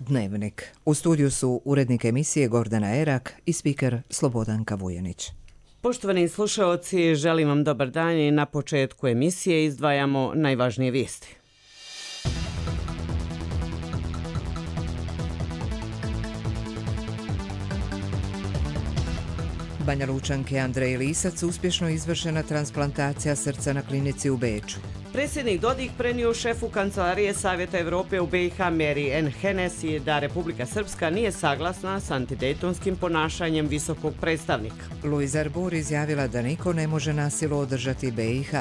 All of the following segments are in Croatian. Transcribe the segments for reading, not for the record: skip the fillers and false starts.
Dnevnik. U studiju su urednik emisije Gordana Erak i spiker Slobodanka Vujanić. Poštovani slušaoci, želim vam dobar dan i na početku emisije izdvajamo najvažnije vijesti. Banja Lučanke Andreji Lisac uspješno izvršena transplantacija srca na klinici u Beču. Predsjednik Dodik prenio šefu Kancelarije Savjeta Europe u BiH Mary Ann Hennessy da Republika Srpska nije saglasna s antidejtonskim ponašanjem visokog predstavnika. Luiz Arbour izjavila da niko ne može na silu održati BiH.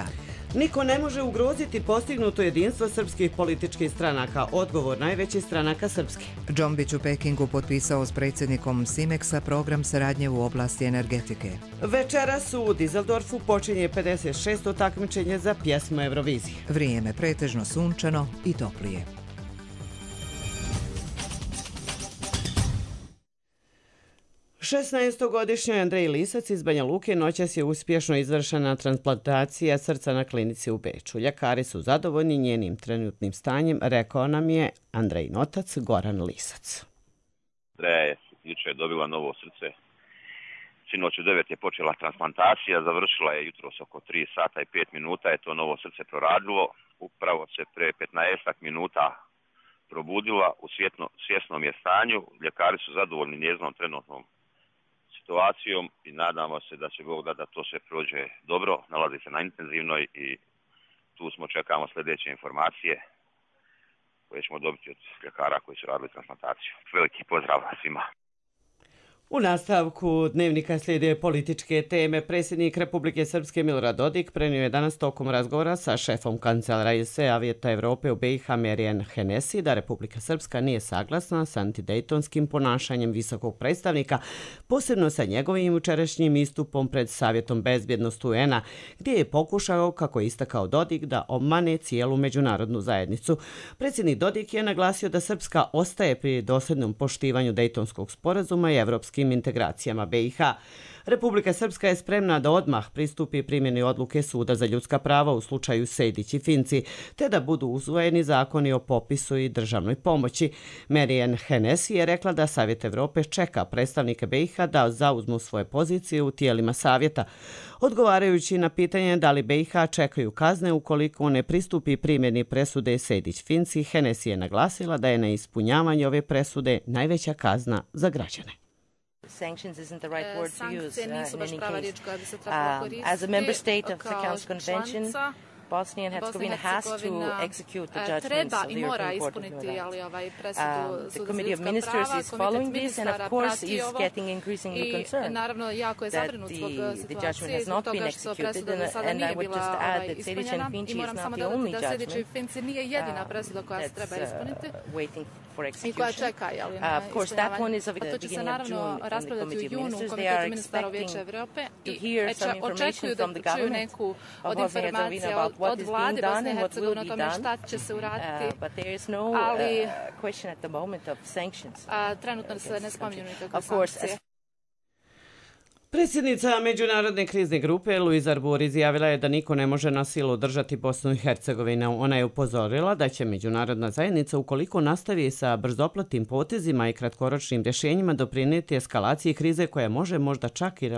Niko ne može ugroziti postignuto jedinstvo srpskih političkih stranaka, odgovor najvećih stranaka srpske. Džombić u Pekingu potpisao s predsjednikom Simexa program saradnje u oblasti energetike. Večeras u Dizeldorfu počinje 56. takmičenje za pjesmu Eurovizije. Vrijeme pretežno sunčano i toplije. Šesnaestogodišnjoj Andreji Lisac iz Banja Luke noćas je uspješno izvršena transplantacija srca na klinici u Beču. Ljekari su zadovoljni njenim trenutnim stanjem, rekao nam je Andrejin otac Goran Lisac. Andreja je jučer dobila novo srce. Sinoć u 9 je počela transplantacija, završila je jutros oko 3 sata i 5 minuta je to novo srce proradilo. Upravo se pre 15 minuta probudila u svjesnom je stanju. Ljekari su zadovoljni njezinom trenutnom situacijom i nadamo se da će Bog da to sve prođe dobro. Nalazi se na intenzivnoj i tu čekamo sljedeće informacije koje ćemo dobiti od ljekara koji su radili transplantaciju. Veliki pozdrav svima. U nastavku dnevnika slijede političke teme. Predsjednik Republike Srpske Milorad Dodik prenio je danas tokom razgovora sa šefom Kancelarije Savjeta Europe u BiH Mary Ann Hennessy da Republika Srpska nije saglasna s antidejtonskim ponašanjem visokog predstavnika, posebno sa njegovim jučerašnjim istupom pred Savjetom bezbjednosti UN-a, gdje je pokušao, kako je istakao Dodik, da obmane cijelu međunarodnu zajednicu. Predsjednik Dodik je naglasio da Srpska ostaje pri dosljednom poštivanju Dejtonskog sporazuma i evropskim integracijama BiH. Republika Srpska je spremna da odmah pristupi primjeni odluke Suda za ljudska prava u slučaju Sejdić i Finci, te da budu usvojeni zakoni o popisu i državnoj pomoći. Mary Ann Hennessy je rekla da Savjet Europe čeka predstavnike BiH da zauzmu svoje pozicije u tijelima Savjeta. Odgovarajući na pitanje da li BiH čekaju kazne ukoliko ne pristupi primjeni presude Sejdić-Finci, Hennessy je naglasila da je neispunjavanje ove presude najveća kazna za građane. Sanctions isn't the right word to use in any case. As a member state of the Council Convention, Bosnia and Herzegovina has to execute the judgments of the European Court of Human Rights. The Committee of Ministers is following this and of course is getting increasingly concerned that the judgment has not been executed, and I would just add that Sejdić and Finci is not the only judgment that's waiting for execution. Of course, that one is of the beginning of June in the Committee of Ministers. They are expecting to hear some information from the government of Bosnia and Herzegovina about what is being done and what will be done, but there is no question at the moment of sanctions. Of course, Predsjednica Međunarodne krizne grupe Luiz Arbour izjavila je da niko ne može na silu držati Bosnu i Hercegovinu. Ona je upozorila da će međunarodna zajednica, ukoliko nastavi sa brzopletim potezima i kratkoročnim rješenjima, doprinijeti eskalaciji krize koja može možda čak i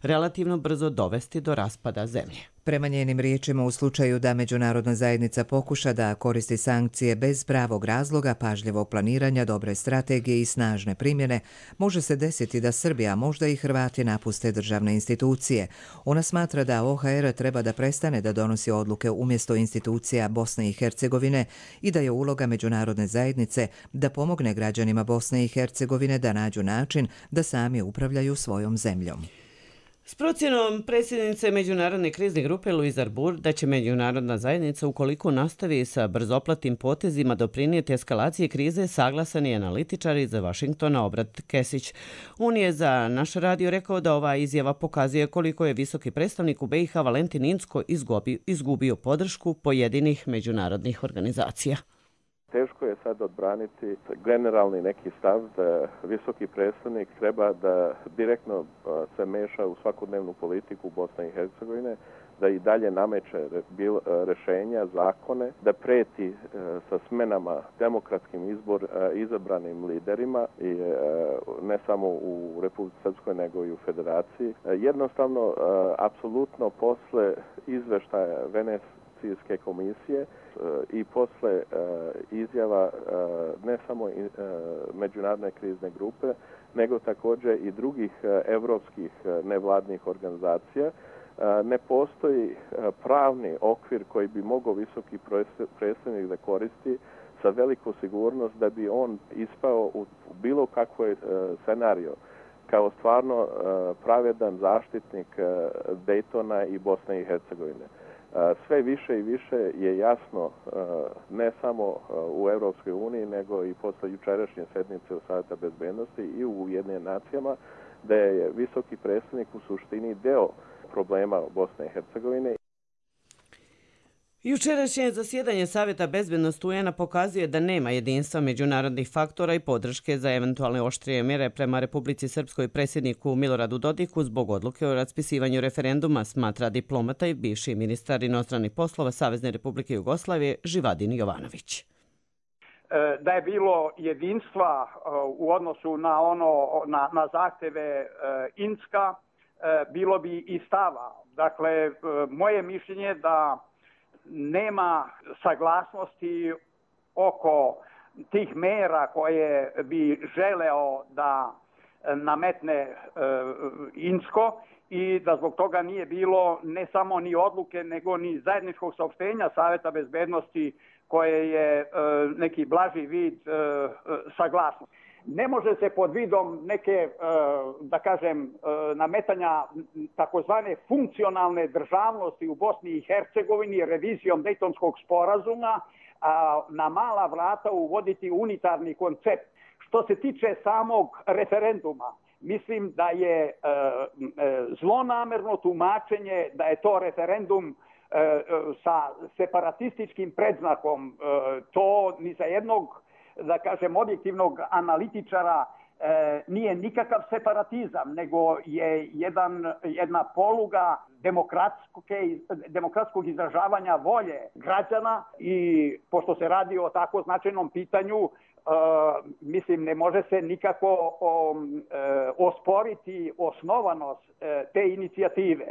relativno brzo dovesti do raspada zemlje. Prema njenim riječima, u slučaju da međunarodna zajednica pokuša da koristi sankcije bez pravog razloga, pažljivog planiranja, dobre strategije i snažne primjene, može se desiti da Srbija, možda i Hrvati napuste državne institucije. Ona smatra da OHR treba da prestane da donosi odluke umjesto institucija Bosne i Hercegovine i da je uloga međunarodne zajednice da pomogne građanima Bosne i Hercegovine da nađu način da sami upravljaju svojom zemljom. S procjenom predsjednice Međunarodne krizne grupe Luiz Arbour da će međunarodna zajednica, ukoliko nastavi sa brzoplatim potezima, doprinijeti eskalaciji krize, saglasan je analitičar iz Vašingtona Obrat Kesić. On je za naš radio rekao da ova izjava pokazuje koliko je visoki predstavnik u BiH Valentin Incko izgubio podršku pojedinih međunarodnih organizacija. Teško je sad odbraniti generalni neki stav da visoki predstavnik treba da direktno se meša u svakodnevnu politiku Bosne i Hercegovine, da i dalje nameće rešenja, zakone, da preti sa smenama demokratskim izabranim liderima i ne samo u Republici Srpskoj nego i u Federaciji. Jednostavno, apsolutno posle izveštaja Venecijanske komisije i posle izjava ne samo međunarodne krizne grupe, nego također i drugih evropskih nevladnih organizacija, ne postoji pravni okvir koji bi mogao visoki predstavnik da koristi sa veliku sigurnost da bi on ispao u bilo kakvoj scenario kao stvarno pravedan zaštitnik Dejtona i Bosne i Hercegovine. Sve više i više je jasno ne samo u Europskoj uniji nego i posle jučerašnje sednice u Savjeta bezbednosti i u Ujedinjenim nacijama da je visoki predstavnik u suštini deo problema Bosne i Hercegovine. Jučerašnje zasjedanje Savjeta bezbednosti UN-a pokazuje da nema jedinstva međunarodnih faktora i podrške za eventualne oštrije mjere prema Republici Srpskoj predsjedniku Miloradu Dodiku zbog odluke o raspisivanju referenduma, smatra diplomata i bivši ministar inostranih poslova Savezne Republike Jugoslavije Živadin Jovanović. Da je bilo jedinstva u odnosu na zahteve Inska, bilo bi i stava. Dakle, moje mišljenje da nema saglasnosti oko tih mera koje bi želeo da nametne Insko i da zbog toga nije bilo ne samo ni odluke nego ni zajedničkog saopštenja Savjeta bezbednosti koje je neki blaži vid saglasnosti. Ne može se pod vidom neke, da kažem, nametanja takozvane funkcionalne državnosti u Bosni i Hercegovini revizijom Dejtonskog sporazuma na mala vrata uvoditi unitarni koncept. Što se tiče samog referenduma, mislim da je zlonamerno tumačenje da je to referendum sa separatističkim predznakom. To ni za jednog, da kažem, objektivnog analitičara nije nikakav separatizam, nego je jedna poluga demokratskog izražavanja volje građana i pošto se radi o tako značajnom pitanju, mislim, ne može se nikako osporiti osnovanost te inicijative.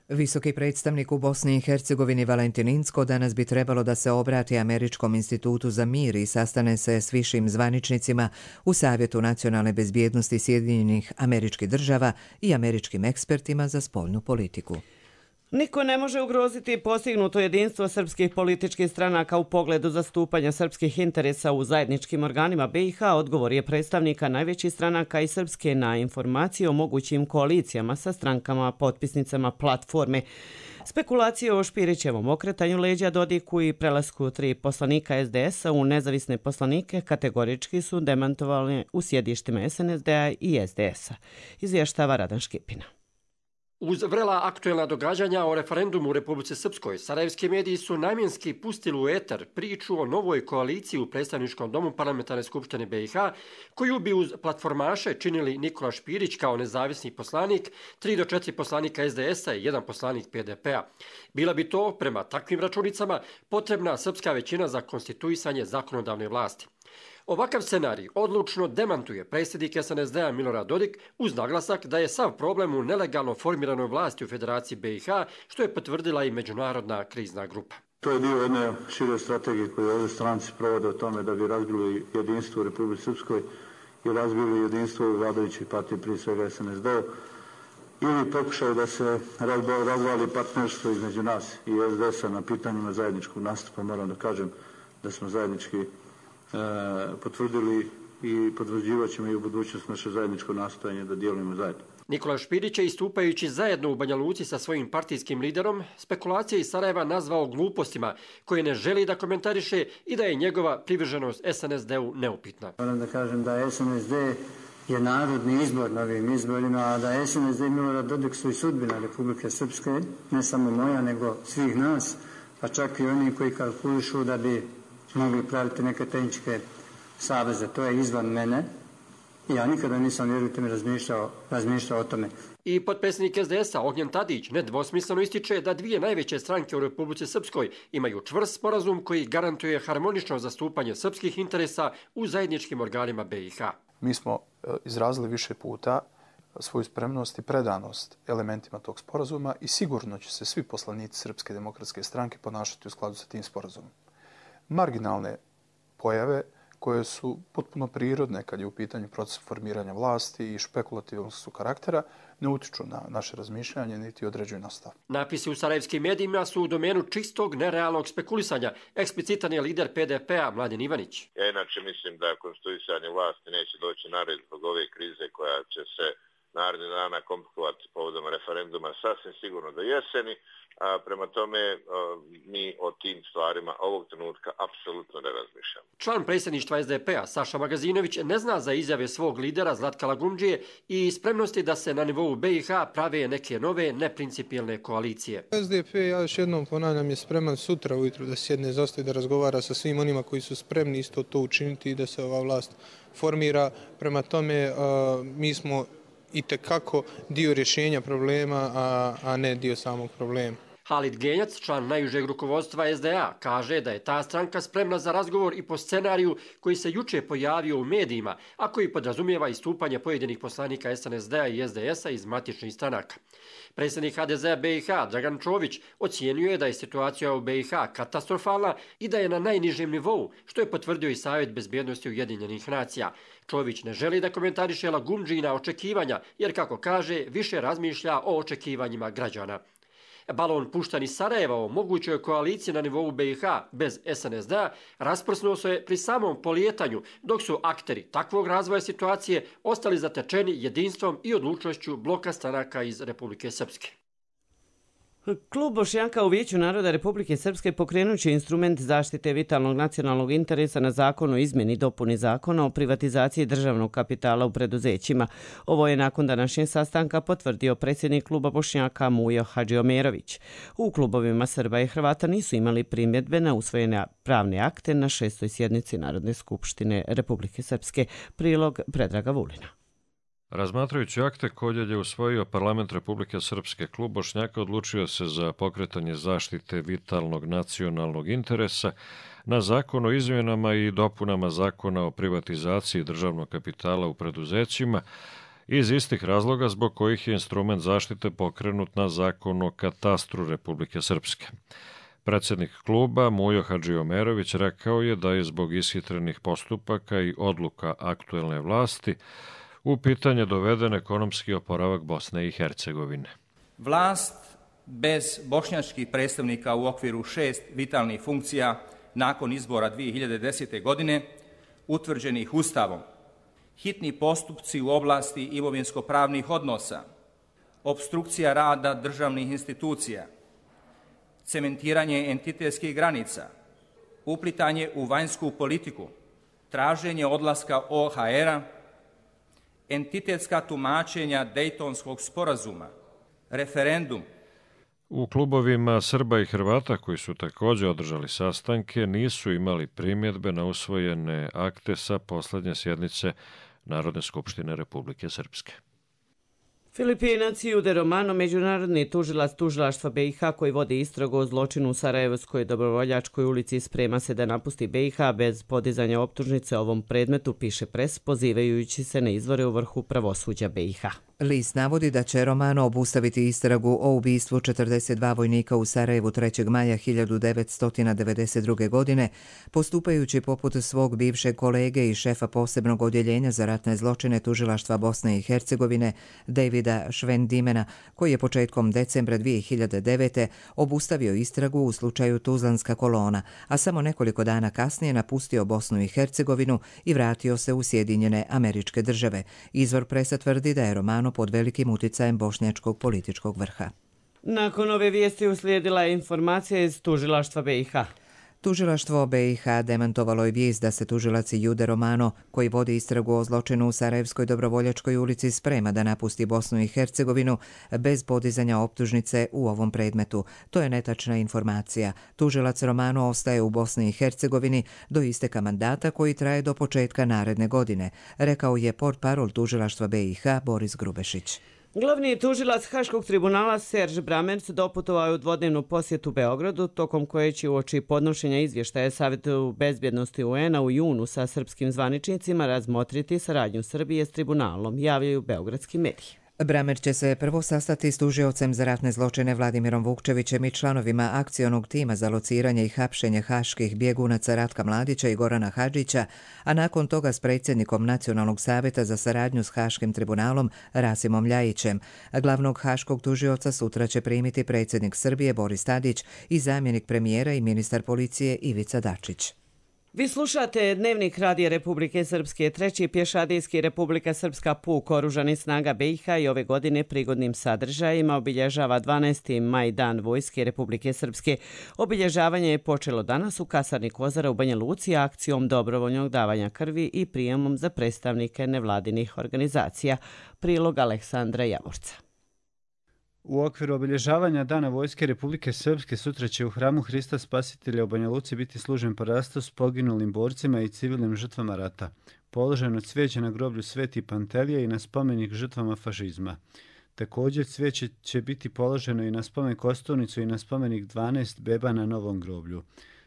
Visoki predstavnik u Bosni i Hercegovini Valentin Incko danas bi trebalo da se obrati Američkom institutu za mir i sastane se s višim zvaničnicima u Savjetu nacionalne bezbjednosti Sjedinjenih Američkih Država i američkim ekspertima za spoljnu politiku. Niko ne može ugroziti postignuto jedinstvo srpskih političkih stranaka u pogledu zastupanja srpskih interesa u zajedničkim organima BiH, odgovor je predstavnika najvećih stranaka i Srpske na informacije o mogućim koalicijama sa strankama potpisnicama platforme. Spekulacije o Špirićevom okretanju leđa Dodiku i prelasku 3 poslanika SDS-a u nezavisne poslanike kategorički su demantovali u sjedištima SNSD-a i SDS-a, izvještava Radan Škipina. Uz vrela aktuelna događanja o referendumu u Republici Srpskoj, sarajevski mediji su namjenski pustili u eter priču o novoj koaliciji u predstavničkom domu Parlamentarne skupštine BiH, koju bi uz platformaše činili Nikola Špirić kao nezavisni poslanik, 3 do 4 poslanika SDS-a i 1 poslanik PDP-a. Bila bi to, prema takvim računicama, potrebna srpska većina za konstituisanje zakonodavne vlasti. Ovakav scenarij odlučno demantuje predsjednik SNSD-a Milorad Dodik uz naglasak da je sav problem u nelegalno formiranoj vlasti u Federaciji BiH, što je potvrdila i međunarodna krizna grupa. To je dio jedne šire strategije koje ovdje stranci provode o tome da bi razbili jedinstvo u Republici Srpskoj i razbili jedinstvo u vladajućoj partiji, prije svega SNSD-u, ili pokušaju da se razvali partnerstvo između nas i SDS-a na pitanjima zajedničkog nastupa. Moram da kažem da smo zajednički potvrdili i potvrđivat ćemo i u budućnosti naše zajedničko nastojanje da djelujemo zajedno. Nikola Špirić je, istupajući zajedno u Banja Luci sa svojim partijskim liderom, spekulacije iz Sarajeva nazvao glupostima koje ne želi da komentariše i da je njegova privrženost SNSD-u neupitna. Moram da kažem da SNSD je narodni izbor na ovim izborima, a da SNSD i Milorad Dodik su i sudbina Republike Srpske, ne samo moja, nego svih nas, pa čak i oni koji kalkulišu da bi mogli praviti neke tehničke saveze. To je izvan mene. Ja nikada nisam, vjerujte mi, razmišljao o tome. I potpredsjednik SDS-a Ognjen Tadić nedvosmisleno ističe da dvije najveće stranke u Republici Srpskoj imaju čvrst sporazum koji garantuje harmonično zastupanje srpskih interesa u zajedničkim organima BiH. Mi smo izrazili više puta svoju spremnost i predanost elementima tog sporazuma i sigurno će se svi poslanici Srpske demokratske stranke ponašati u skladu sa tim sporazumom. Marginalne pojave koje su potpuno prirodne kad je u pitanju proces formiranja vlasti i špekulativnog su karaktera, ne utiču na naše razmišljanje niti određuju nastav. Napisi u sarajevskim medijima su u domenu čistog, nerealnog spekulisanja. Eksplicitan je lider PDP-a Mladen Ivanić. Ja inače mislim da konstituisanje vlasti neće doći na red zbog ove krize koja će se narednih dana komplikovati povodom referenduma sasvim sigurno do jeseni. A prema tome mi o tim stvarima ovog trenutka apsolutno ne razmišljamo. Član predsjedništva SDP-a Saša Magazinović ne zna za izjave svog lidera Zlatka Lagundžije i spremnosti da se na nivou BiH prave neke nove neprincipijelne koalicije. SDP, ja još jednom ponavljam, je spreman sutra ujutru da sjedne za sto i da razgovara sa svim onima koji su spremni isto to učiniti i da se ova vlast formira. Prema tome mi smo itekako dio rješenja problema, a ne dio samog problema. Halid Genjac, član najužeg rukovodstva SDA, kaže da je ta stranka spremna za razgovor i po scenariju koji se juče pojavio u medijima, a koji podrazumijeva istupanje pojedinih poslanika SNSD-a i SDS-a iz matičnih stranaka. Predsjednik HDZ-a BiH Dragan Čović ocijenio je da je situacija u BiH katastrofalna i da je na najnižem nivou, što je potvrdio i Savjet bezbjednosti Ujedinjenih nacija. Čović ne želi da komentariše Lagundžina očekivanja, jer, kako kaže, više razmišlja o očekivanjima građana. Balon puštan iz Sarajeva o mogućoj koaliciji na nivou BiH bez SNSD-a rasprsnuo se pri samom polijetanju, dok su akteri takvog razvoja situacije ostali zatečeni jedinstvom i odlučnošću bloka stranaka iz Republike Srpske. Klub Bošnjaka u Vijeću naroda Republike Srpske pokrenut će instrument zaštite vitalnog nacionalnog interesa na zakon o izmjeni i dopuni zakona o privatizaciji državnog kapitala u preduzećima. Ovo je nakon današnjeg sastanka potvrdio predsjednik kluba Bošnjaka Mujo Hadžiomerović. U klubovima Srba i Hrvata nisu imali primjedbe na usvojene pravne akte na 6. sjednici Narodne skupštine Republike Srpske. Prilog Predraga Vulina. Razmatrajući akte koje je usvojio Parlament Republike Srpske, klub Bošnjaka odlučio se za pokretanje zaštite vitalnog nacionalnog interesa na zakon o izmjenama i dopunama zakona o privatizaciji državnog kapitala u preduzećima iz istih razloga zbog kojih je instrument zaštite pokrenut na zakon o katastru Republike Srpske. Predsjednik kluba Mujo Hadžiomerović rekao je da je zbog ishitrenih postupaka i odluka aktuelne vlasti u pitanje doveden ekonomski oporavak Bosne i Hercegovine. Vlast bez bošnjačkih predstavnika u okviru 6 vitalnih funkcija nakon izbora 2010. godine, utvrđenih Ustavom, hitni postupci u oblasti imovinsko-pravnih odnosa, opstrukcija rada državnih institucija, cementiranje entitetskih granica, uplitanje u vanjsku politiku, traženje odlaska OHR-a, entitetska tumačenja Dejtonskog sporazuma, referendum. U klubovima Srba i Hrvata, koji su također održali sastanke, nisu imali primjedbe na usvojene akte sa posljednje sjednice Narodne skupštine Republike Srpske. Filipinac Jude Romano, međunarodni tužilac tužilaštva BiH koji vodi istragu o zločinu u Sarajevskoj Dobrovoljačkoj ulici, sprema se da napusti BiH bez podizanja optužnice ovom predmetu, piše Pres, pozivajući se na izvore u vrhu pravosuđa BiH. List navodi da će Romano obustaviti istragu o ubistvu 42 vojnika u Sarajevu 3. maja 1992. godine, postupajući poput svog bivšeg kolege i šefa posebnog odjeljenja za ratne zločine tužilaštva Bosne i Hercegovine, Davida Švendimena, koji je početkom decembra 2009. obustavio istragu u slučaju Tuzlanska kolona, a samo nekoliko dana kasnije napustio Bosnu i Hercegovinu i vratio se u Sjedinjene Američke Države. Izvor Presa tvrdi da je Romano pod velikim uticajem bošnjačkog političkog vrha. Nakon ove vijesti uslijedila je informacija iz tužilaštva BiH. Tužilaštvo BiH demantovalo je vijest da se tužilac Jude Romano, koji vodi istragu o zločinu u Sarajevskoj dobrovoljačkoj ulici, sprema da napusti Bosnu i Hercegovinu bez podizanja optužnice u ovom predmetu. To je netačna informacija. Tužilac Romano ostaje u Bosni i Hercegovini do isteka mandata koji traje do početka naredne godine, rekao je portparol tužilaštva BiH Boris Grubešić. Glavni tužilac Haškog tribunala Serž Bramerc doputovao je u dvodnevnu posjetu Beogradu, tokom koje će uoči podnošenja izvještaja Savetu bezbjednosti UN-a u junu sa srpskim zvaničnicima razmotriti saradnju Srbije s tribunalom, javljaju beogradski mediji. Bramer će se prvo sastati s tužiocem za ratne zločine Vladimirom Vukčevićem i članovima akcionog tima za lociranje i hapšenje haških bjegunaca Ratka Mladića i Gorana Hadžića, a nakon toga s predsjednikom Nacionalnog savjeta za saradnju s Haškim tribunalom Rasimom Ljajićem. Glavnog haškog tužioca sutra će primiti predsjednik Srbije Boris Tadić i zamjenik premijera i ministar policije Ivica Dačić. Vi slušate Dnevnik Radija Republike Srpske. Treći pješadijski Republika Srpska puk Oružanih snaga BiH i ove godine prigodnim sadržajima obilježava 12. maj, Dan Vojske Republike Srpske. Obilježavanje je počelo danas u kasarni Kozara u Banja Luci akcijom dobrovoljnog davanja krvi i prijemom za predstavnike nevladinih organizacija. Prilog Aleksandra Javorca. U okviru obilježavanja Dana Vojske Republike Srpske sutra će u hramu Hrista Spasitelja u Banja Luci biti služen parastos poginulim borcima i civilnim žrtvama rata. Položeno cvijeće na groblju Sveti Pantelije i na spomenik žrtvama fašizma. Također cvijeće će biti položeno i na spomen kosturnicu i na spomenik 12 beba na Novom groblju.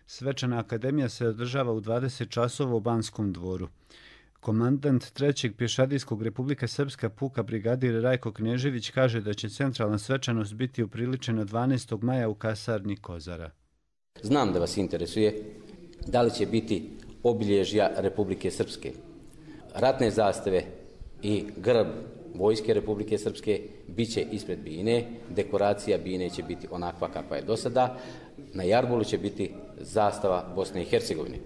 Svečana akademija se održava u 20 časova u Banskom dvoru. Komandant 3. pješadijskog Republika Srpska puka brigadir Rajko Knežević kaže da će centralna svečanost biti upriličena 12. maja u kasarni Kozara. Znam da vas interesuje da li će biti obilježja Republike Srpske. Ratne zastave i grb Vojske Republike Srpske bit će ispred bine, dekoracija bine će biti onakva kakva je do sada, na jarbolu će biti zastava Bosne i Hercegovine.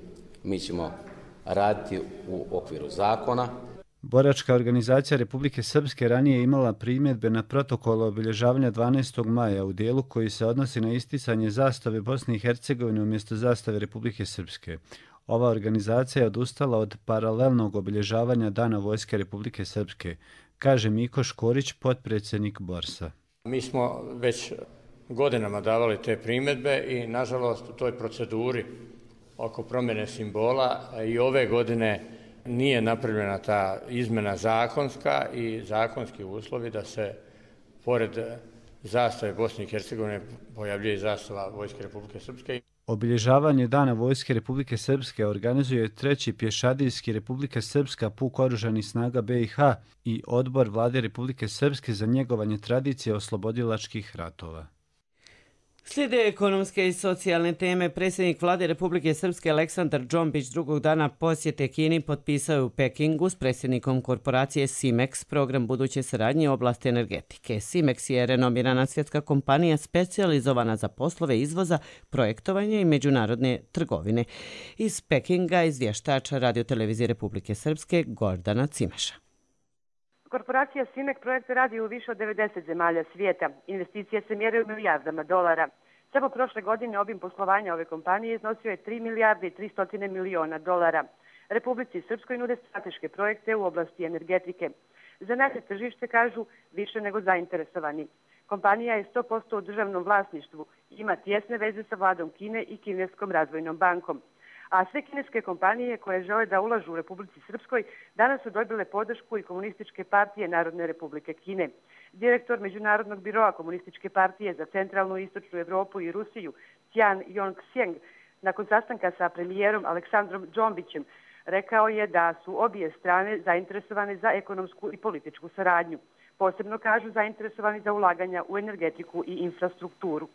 Mi ćemo raditi u okviru zakona. Boračka organizacija Republike Srpske ranije je imala primjedbe na protokol obilježavanja 12. maja u dijelu koji se odnosi na isticanje zastave Bosne i Hercegovine umjesto zastave Republike Srpske. Ova organizacija je odustala od paralelnog obilježavanja Dana Vojske Republike Srpske, kaže Miko Škorić, potpredsjednik Borsa. Mi smo već godinama davali te primjedbe i nažalost u toj proceduri oko promjene simbola i ove godine nije napravljena ta izmjena zakonska i zakonski uslovi da se pored zastave Bosne i Hercegovine pojavljuje zastava Vojske Republike Srpske. Obilježavanje Dana Vojske Republike Srpske organizuje 3. pješadijski Republika Srpska puk Oružanih snaga BiH i Odbor Vlade Republike Srpske za njegovanje tradicije oslobodilačkih ratova. Slijede ekonomske i socijalne teme. Predsjednik Vlade Republike Srpske Aleksandar Džombić drugog dana posjete Kini potpisao je u Pekingu s predsjednikom korporacije Simex program buduće saradnje u oblasti energetike. Simex je renomirana svjetska kompanija specijalizovana za poslove izvoza, projektovanja i međunarodne trgovine. Iz Pekinga izvještač Radiotelevizije Republike Srpske Gordana Cimeša. Korporacija Simek projekte radi u više od 90 zemalja svijeta. Investicije se mjere u milijardama dolara. Samo prošle godine obim poslovanja ove kompanije iznosio je 3 milijarde i 300 milijuna dolara. Republici Srpskoj nude strateške projekte u oblasti energetike. Za naše tržište kažu više nego zainteresovani. Kompanija je 100% u državnom vlasništvu i ima tjesne veze sa vladom Kine i Kineskom razvojnom bankom. A sve kineske kompanije koje žele da ulažu u Republici Srpskoj danas su dobile podršku i Komunističke partije Narodne Republike Kine. Direktor Međunarodnog biroa Komunističke partije za centralnu i istočnu Evropu i Rusiju, Tian Yong-Sjeng, nakon sastanka sa premijerom Aleksandrom Džombićem, rekao je da su obje strane zainteresovane za ekonomsku i političku saradnju. Posebno kažu zainteresovani za ulaganja u energetiku i infrastrukturu.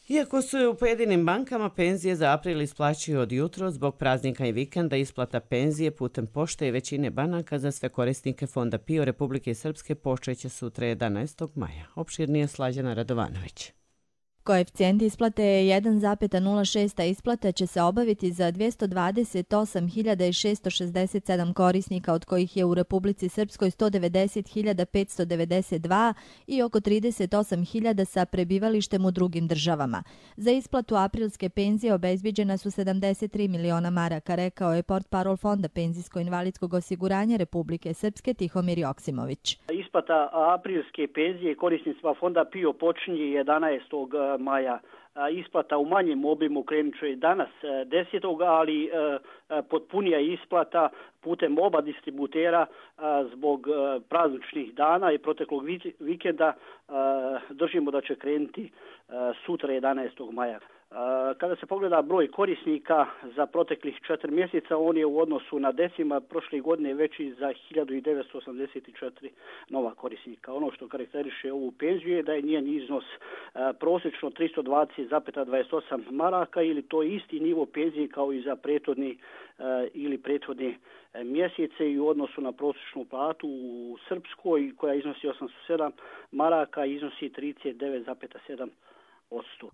Iako su u pojedinim bankama penzije za april isplaćuju od jutro, zbog praznika i vikenda isplata penzije putem pošte i većine banaka za sve korisnike Fonda PIO Republike Srpske počeće sutra 11. maja. Opširnije Slađana Radovanović. Koeficijent isplate je 1,06, a isplata će se obaviti za 228.667 korisnika, od kojih je u Republici Srpskoj 190.592 i oko 38.000 sa prebivalištem u drugim državama. Za isplatu aprilske penzije obezbiđena su 73 miliona maraka, rekao je portparol Fonda penzijsko-invalidskog osiguranja Republike Srpske Tihomir Joksimović. Isplata aprilske penzije korisnicima Fonda PIO počinje 11. maja. Isplata u manjem obimu krenut će danas 10. ali potpunija isplata putem oba distributera zbog prazničnih dana i proteklog vikenda držimo da će krenuti sutra 11. maja. Kada se pogleda broj korisnika za proteklih 4 mjeseca, on je u odnosu na decima prošle godine veći za 1984 nova korisnika. Ono što karakteriše ovu penziju je da je njen iznos prosječno 320,28 maraka ili to je isti nivo penzije kao i za prethodne mjesece i u odnosu na prosječnu platu u Srpskoj koja iznosi 807 maraka iznosi 39,7%.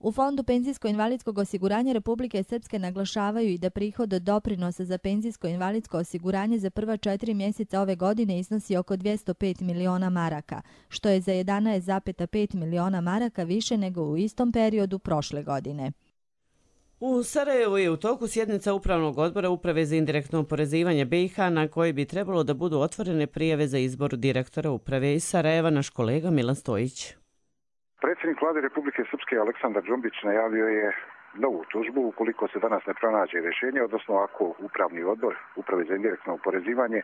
U Fondu penzijsko-invalidskog osiguranja Republike Srpske naglašavaju i da prihod od doprinosa za penzijsko-invalidsko osiguranje za prva 4 mjeseca ove godine iznosi oko 205 miliona maraka, što je za 11,5 miliona maraka više nego u istom periodu prošle godine. U Sarajevu je u toku sjednica Upravnog odbora Uprave za indirektno oporezivanje BiH na kojoj bi trebalo da budu otvorene prijave za izbor direktora uprave iz Sarajeva, naš kolega Milan Stojić. Predsjednik Vlade Republike Srpske Aleksandar Džumbić najavio je novu tužbu ukoliko se danas ne pronađe rješenje, odnosno ako Upravni odbor Uprave za indirektno oporezivanje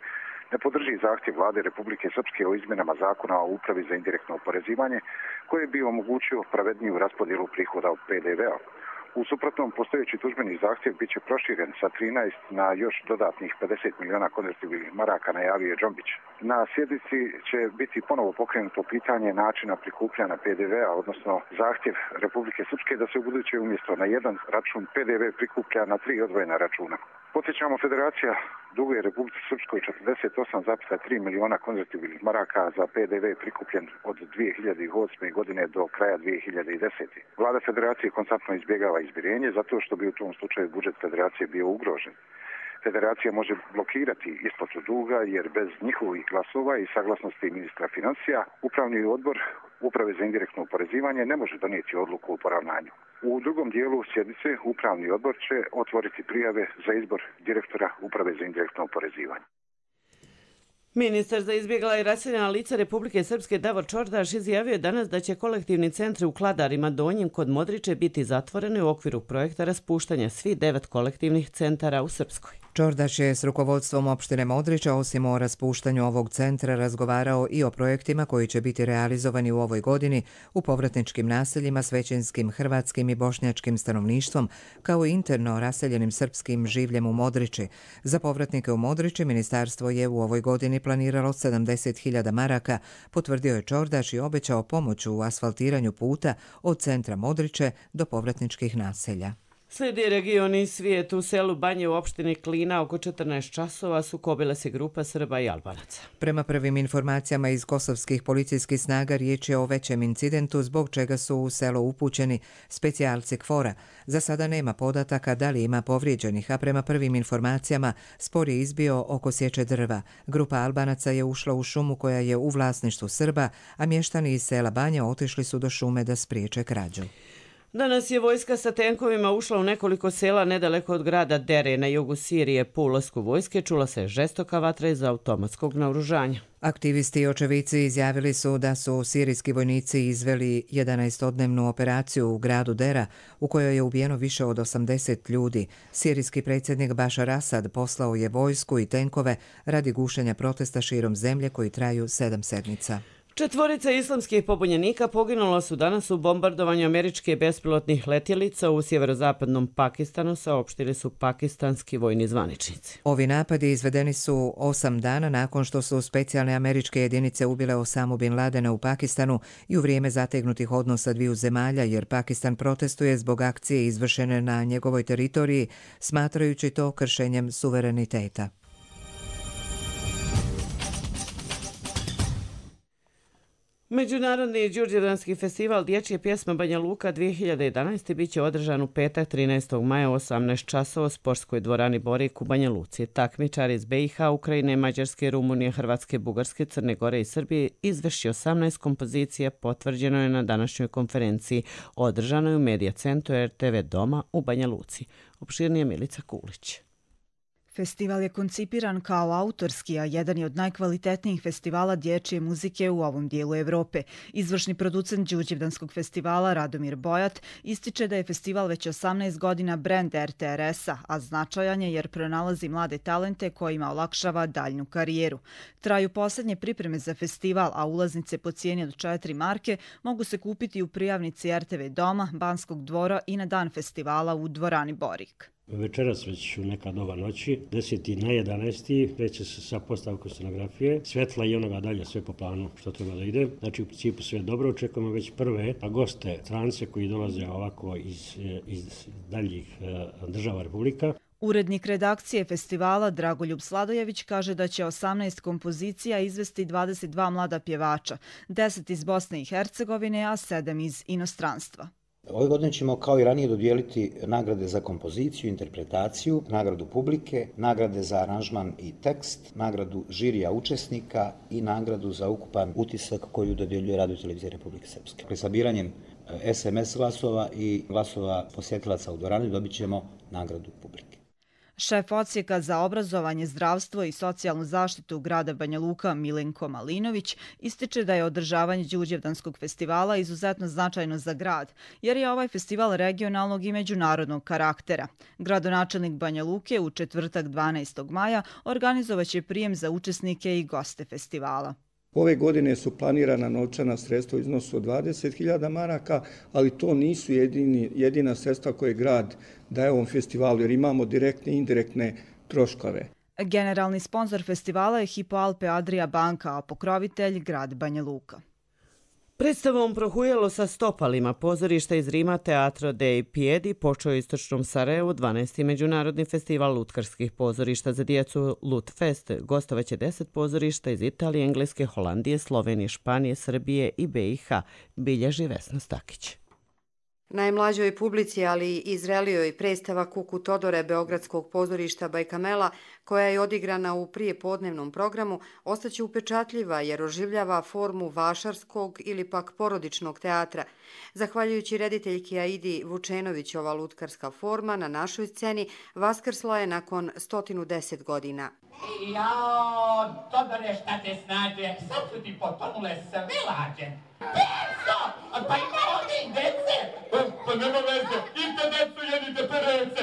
ne podrži zahtjev Vlade Republike Srpske o izmjenama zakona o Upravi za indirektno oporezivanje koji bi omogućio pravedniju raspodjelu prihoda od PDV-a. U suprotnom, postojeći tužbeni zahtjev bit će proširen sa 13 na još dodatnih 50 miliona konvertibilnih maraka, najavio je Džombić. Na sjednici će biti ponovo pokrenuto pitanje načina prikupljanja PDV-a, odnosno zahtjev Republike Srpske da se ubuduće umjesto na jedan račun PDV prikuplja na 3 odvojena računa. Podsjećamo, Federacija duguje Republici Srpskoj 48,3 miliona konvertibilnih maraka za PDV prikupljen od 2008. godine do kraja 2010. Vlada Federacije konstantno izbjegava izmirenje zato što bi u tom slučaju budžet Federacije bio ugrožen. Federacija može blokirati isplatu duga jer bez njihovih glasova i saglasnosti ministra financija Upravni odbor Uprave za indirektno oporezivanje ne može donijeti odluku o poravnanju. U drugom dijelu sjednice Upravni odbor će otvoriti prijave za izbor direktora Uprave za indirektno oporezivanje. Ministar za izbjegla i raseljena lica Republike Srpske Davor Čordaš izjavio je danas da će kolektivni centri u Kladarima Donjim kod Modriče biti zatvoreni u okviru projekta raspuštanja svih 9 kolektivnih centara u Srpskoj. Čordaš je s rukovodstvom opštine Modriča osim o raspuštanju ovog centra razgovarao i o projektima koji će biti realizovani u ovoj godini u povratničkim naseljima s većinskim hrvatskim i bošnjačkim stanovništvom, kao i interno raseljenim srpskim življem u Modriči. Za povratnike u Modriči ministarstvo je u ovoj godini planiralo 70.000 maraka, potvrdio je Čordaš i obećao pomoć u asfaltiranju puta od centra Modriče do povratničkih naselja. Slijedi regioni svijet. U selu Banje u opštini Klina oko 14 časova sukobila se grupa Srba i Albanaca. Prema prvim informacijama iz kosovskih policijskih snaga riječ je o većem incidentu zbog čega su u selo upućeni specijalci KFOR-a. Za sada nema podataka da li ima povrijeđenih, a prema prvim informacijama spor je izbio oko sječe drva. Grupa Albanaca je ušla u šumu koja je u vlasništvu Srba, a mještani iz sela Banje otišli su do šume da spriječe krađu. Danas je vojska sa tenkovima ušla u nekoliko sela nedaleko od grada Dere na jugu Sirije. Po ulasku vojske čula se žestoka vatra iz automatskog naoružanja. Aktivisti i očevici izjavili su da su sirijski vojnici izveli 11-dnevnu operaciju u gradu Dera u kojoj je ubijeno više od 80 ljudi. Sirijski predsjednik Bašar Asad poslao je vojsku i tenkove radi gušenja protesta širom zemlje koji traju 7 sedmica. 4 islamskih pobunjenika poginulo su danas u bombardovanju američke bespilotnih letjelica u sjeverozapadnom Pakistanu, saopštili su pakistanski vojni zvaničnici. Ovi napadi izvedeni su 8 dana nakon što su specijalne američke jedinice ubile Osamu Bin Ladena u Pakistanu i u vrijeme zategnutih odnosa dviju zemalja, jer Pakistan protestuje zbog akcije izvršene na njegovoj teritoriji, smatrajući to kršenjem suvereniteta. Međunarodni Đurđevdanski festival dječje pjesme Banja Luka 2011. bit će održan u petak 13. maja u 18 časova u sportskoj dvorani Borik u Banja Luci. Takmičari iz BiH, Ukrajine, Mađarske, Rumunije, Hrvatske, Bugarske, Crne Gore i Srbije izvrši 18 kompozicija, potvrđeno je na današnjoj konferenciji održanoj u Medija centru RTV Doma u Banja Luci. Opširnije Milica Kulić. Festival je koncipiran kao autorski, a jedan je od najkvalitetnijih festivala dječje muzike u ovom dijelu Evrope. Izvršni producent Đurđevdanskog festivala Radomir Bojat ističe da je festival već 18 godina brend RTRS-a, a značajan je jer pronalazi mlade talente kojima olakšava daljnju karijeru. Traju posljednje pripreme za festival, a ulaznice po cijeni od 4 marke mogu se kupiti u prijavnici RTV Doma, Banskog dvora i na dan festivala u dvorani Borik. Večeras već u neka doba noći, 10. na 11. kreće se sa postavkom scenografije, svetla i onoga dalje, sve po planu što treba da ide. Znači u principu sve dobro, očekujemo već prve goste, strance koji dolaze ovako iz daljih država Republika. Urednik redakcije festivala Dragoljub Sladojević kaže da će 18 kompozicija izvesti 22 mlada pjevača, 10 iz Bosne i Hercegovine, a 7 iz inostranstva. Ove godine ćemo kao i ranije dodijeliti nagrade za kompoziciju, interpretaciju, nagradu publike, nagrade za aranžman i tekst, nagradu žirija učesnika i nagradu za ukupan utisak koju dodjeljuje Radio televizija Republike Srpske. Sabiranjem SMS glasova i glasova posjetilaca u dvorani dobit ćemo nagradu publike. Šef odsjeka za obrazovanje, zdravstvo i socijalnu zaštitu grada Banja Luka Milenko Malinović ističe da je održavanje Đurđevdanskog festivala izuzetno značajno za grad, jer je ovaj festival regionalnog i međunarodnog karaktera. Gradonačelnik Banja Luke u četvrtak 12. maja organizovaće prijem za učesnike i goste festivala. Ove godine su planirana novčana sredstva u iznosu od 20.000 maraka, ali to nisu jedina sredstva koje grad daje ovom festivalu, jer imamo direktne i indirektne troškove. Generalni sponsor festivala je Hypo Alpe Adria banka, a pokrovitelj grad Banja Luka. Predstavom Prohujelo sa stopalima pozorišta iz Rima Teatro dei Piedi počeo u istočnom Sarajevu 12. međunarodni festival lutkarskih pozorišta za djecu Lutfest. Gostovaće 10 pozorišta iz Italije, Engleske, Holandije, Slovenije, Španije, Srbije i BiH, bilježi Vesna Stakić. Najmlađoj publici, ali i zrelijoj predstava Kuku Todore Beogradskog pozorišta Bajkamela, koja je odigrana u prijepodnevnom programu, ostaće upečatljiva jer oživljava formu vašarskog ili pak porodičnog teatra. Zahvaljujući rediteljki Aidi Vučenović, ova lutkarska forma na našoj sceni vaskrsla je nakon 110 godina. Jao, Todore, šta te snađe, sad su ti potonule sve lađe. Perso! Pa ima ovdje i dece! Pa nema veze, idite decu, jedite perece!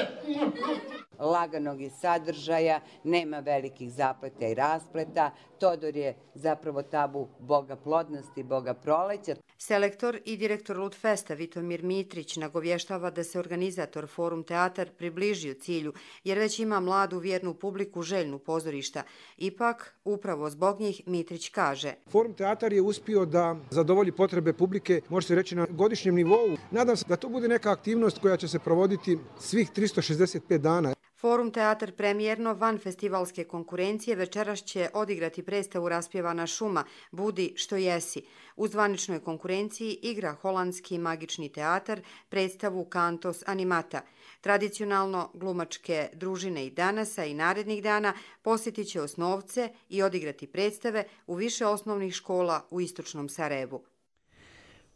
Laganog je sadržaja, nema velikih zapleta i raspleta. Todor je zapravo tabu boga plodnosti, boga proleća. Selektor i direktor Lutfesta Vitomir Mitrić nagovještava da se organizator Forum Teatar približio cilju, jer već ima mladu vjernu publiku željnu pozorišta. Ipak, upravo zbog njih, Mitrić kaže: Forum Teatar je uspio da zadovolji potrebe publike, može se reći na godišnjem nivou. Nadam se da to bude neka aktivnost koja će se provoditi svih 365 dana. Forum Teatar premijerno van festivalske konkurencije večeras će odigrati predstavu Raspjevana šuma, Budi što jesi. U zvaničnoj konkurenciji igra Holandski magični teatar predstavu Cantos Animata. Tradicionalno glumačke družine i danasa i narednih dana posjetit će osnovce i odigrati predstave u više osnovnih škola u istočnom Sarajevu.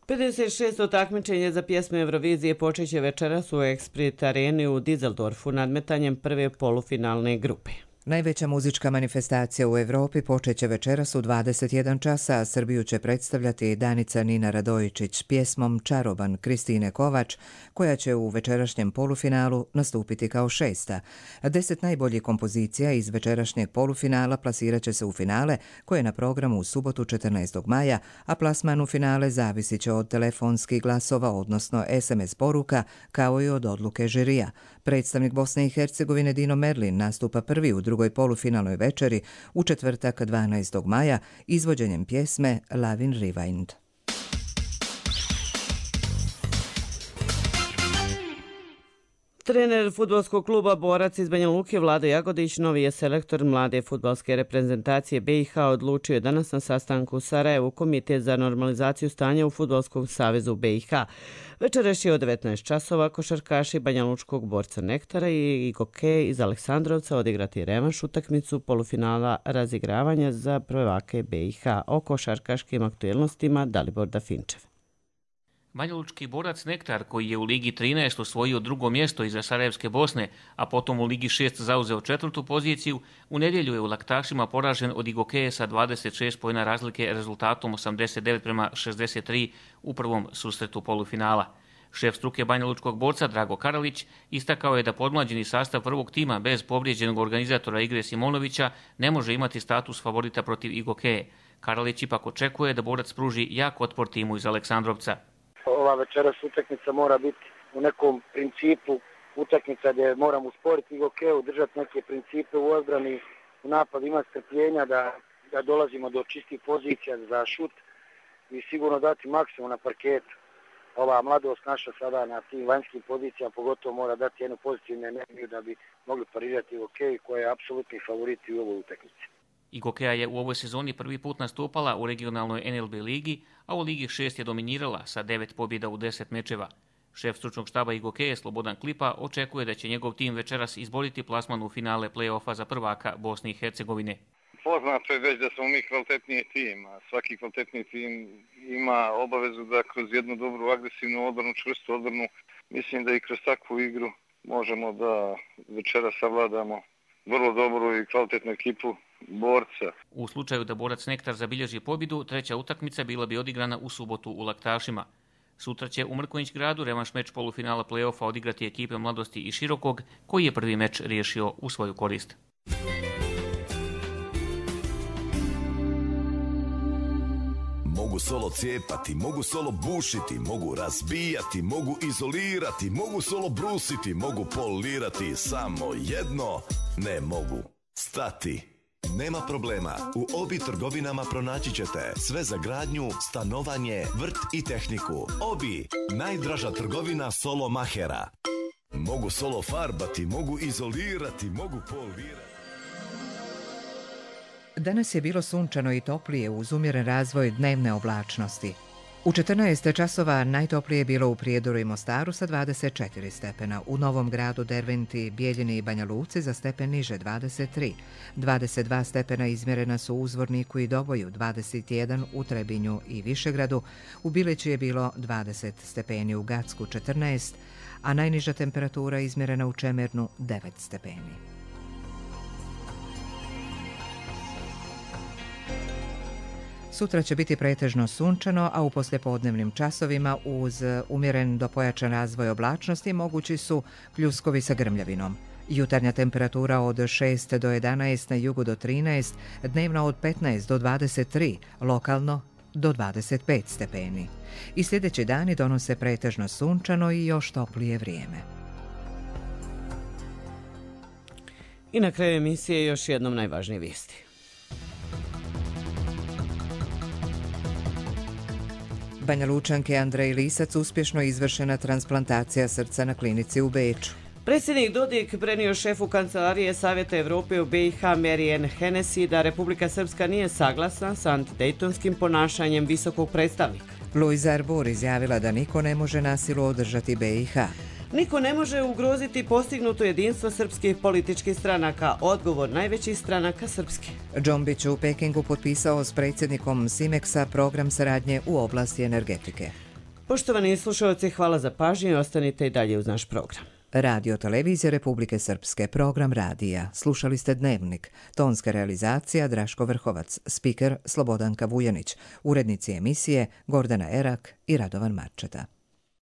56. takmičenje za pjesme Eurovizije počeće večeras u Exprit areni u Düsseldorfu nadmetanjem prve polufinalne grupe. Najveća muzička manifestacija u Evropi počeće večeras u 21 časa, a Srbiju će predstavljati Danica Nina Radojičić s pjesmom Čaroban Kristine Kovač, koja će u večerašnjem polufinalu nastupiti kao 6. 10 najboljih kompozicija iz večerašnjeg polufinala plasirat će se u finale, koje je na programu u subotu 14. maja, a plasman u finale zavisit će od telefonskih glasova, odnosno SMS poruka, kao i od odluke žirija. Predstavnik Bosne i Hercegovine Dino Merlin nastupa prvi u drugoj polufinalnoj večeri u četvrtak 12. maja izvođenjem pjesme Lavin Rewind. Trener fudbalskog kluba Borac iz Banja Luke Vlado Jagodić, novi je selektor mlade fudbalske reprezentacije BiH, odlučio je danas na sastanku u Sarajevu Komitet za normalizaciju stanja u Fudbalskom savezu BiH. Večeras će od 19 časova košarkaši banjalučkog Borca Nektara i Igoke iz Aleksandrovca odigrati revanš utakmicu polufinala razigravanja za prvake BiH. O košarkaškim aktuelnostima Dalibor Dafinčev. Banjalučki Borac Nektar, koji je u Ligi 13 osvojio drugo mjesto iza Sarajevske Bosne, a potom u Ligi 6 zauzeo četvrtu poziciju, u nedjelju je u Laktašima poražen od Igokeje sa 26 poena razlike rezultatom 89-63 u prvom susretu polufinala. Šef struke banjalučkog borca Drago Karalić istakao je da podmlađeni sastav prvog tima bez povrijeđenog organizatora igre Simonovića ne može imati status favorita protiv Igokeje. Karalić ipak očekuje da Borac pruži jak otpor timu iz Aleksandrovca. Ova večeras utakmica mora biti u nekom principu utakmica gdje moramo usporiti Igokeju, držati neke principe u odbrani, u napadu imati strpljenja da dolazimo do čistih pozicija za šut i sigurno dati maksimum na parketu. Ova mladost naša sada na tim vanjskim pozicijama pogotovo mora dati jednu pozitivnu energiju da bi mogli parirati Igokeju koja je apsolutni favorit u ovoj utakmici. Igokeja je u ovoj sezoni prvi put nastupala u regionalnoj NLB ligi, a u Ligi 6 je dominirala sa 9 pobjeda u 10 mečeva. Šef stručnog štaba Igokeje Slobodan Klipa očekuje da će njegov tim večeras izboriti plasman u finale play-offa za prvaka Bosne i Hercegovine. Poznato je već da smo mi kvalitetniji tim, a svaki kvalitetniji tim ima obavezu da kroz jednu dobru agresivnu odbranu, čvrstu odbranu, mislim da i kroz takvu igru možemo da večeras savladamo vrlo dobru i kvalitetnu ekipu Borca. U slučaju da Borac Nektar zabilježi pobjedu, treća utakmica bila bi odigrana u subotu u Laktašima. Sutra će u Mrkonjić gradu revanš meč polufinala play-offa odigrati ekipe Mladosti i Širokog, koji je prvi meč riješio u svoju korist. Mogu solo cijepati, mogu solo bušiti, mogu razbijati, mogu izolirati, mogu solo brusiti, mogu polirati, samo jedno ne mogu stati. Nema problema, u Obi trgovinama pronaći ćete sve za gradnju, stanovanje, vrt i tehniku. Obi, najdraža trgovina solo mahera. Mogu solo farbati, mogu izolirati, mogu polirati. Danas je bilo sunčano i toplije uz umjeren razvoj dnevne oblačnosti. U 14 časova najtoplije je bilo u Prijedoru i Mostaru sa 24 stepena, u Novom Gradu, Derventi, Bijeljini i Banja Luci za stepen niže 23. 22 stepena izmjerena su u Uzvorniku i Doboju, 21 u Trebinju i Višegradu, u Bileći je bilo 20 stepeni, u Gacku 14, a najniža temperatura izmjerena u Čemernu 9 stepeni. Sutra će biti pretežno sunčano, a u poslijepodnevnim časovima uz umjeren do pojačan razvoj oblačnosti mogući su pljuskovi sa grmljavinom. Jutarnja temperatura od 6 do 11, na jugu do 13, dnevna od 15 do 23, lokalno do 25 stepeni. I sljedeći dani donose pretežno sunčano i još toplije vrijeme. I na kraju emisije još jednom najvažnije vijesti. Banja Lučanke Andrej Lisac uspješno izvršena transplantacija srca na klinici u Beču. Predsjednik Dodik prenio šefu Kancelarije Savjeta Evrope u BiH Marijan Hennessy da Republika Srpska nije saglasna sa antidejtonskim ponašanjem visokog predstavnika. Luisa Arbor izjavila da niko ne može na silu održati BiH. Niko ne može ugroziti postignuto jedinstvo srpskih političkih stranaka, odgovor najvećih stranaka srpske. Džombić u Pekingu potpisao s predsjednikom Simexa program saradnje u oblasti energetike. Poštovani slušalci, hvala za pažnju i ostanite i dalje uz naš program. Radio Televizija Republike Srpske, program radija. Slušali ste Dnevnik. Tonska realizacija Draško Vrhovac, spiker Slobodanka Vujanić, urednici emisije Gordana Erak i Radovan Marčeta.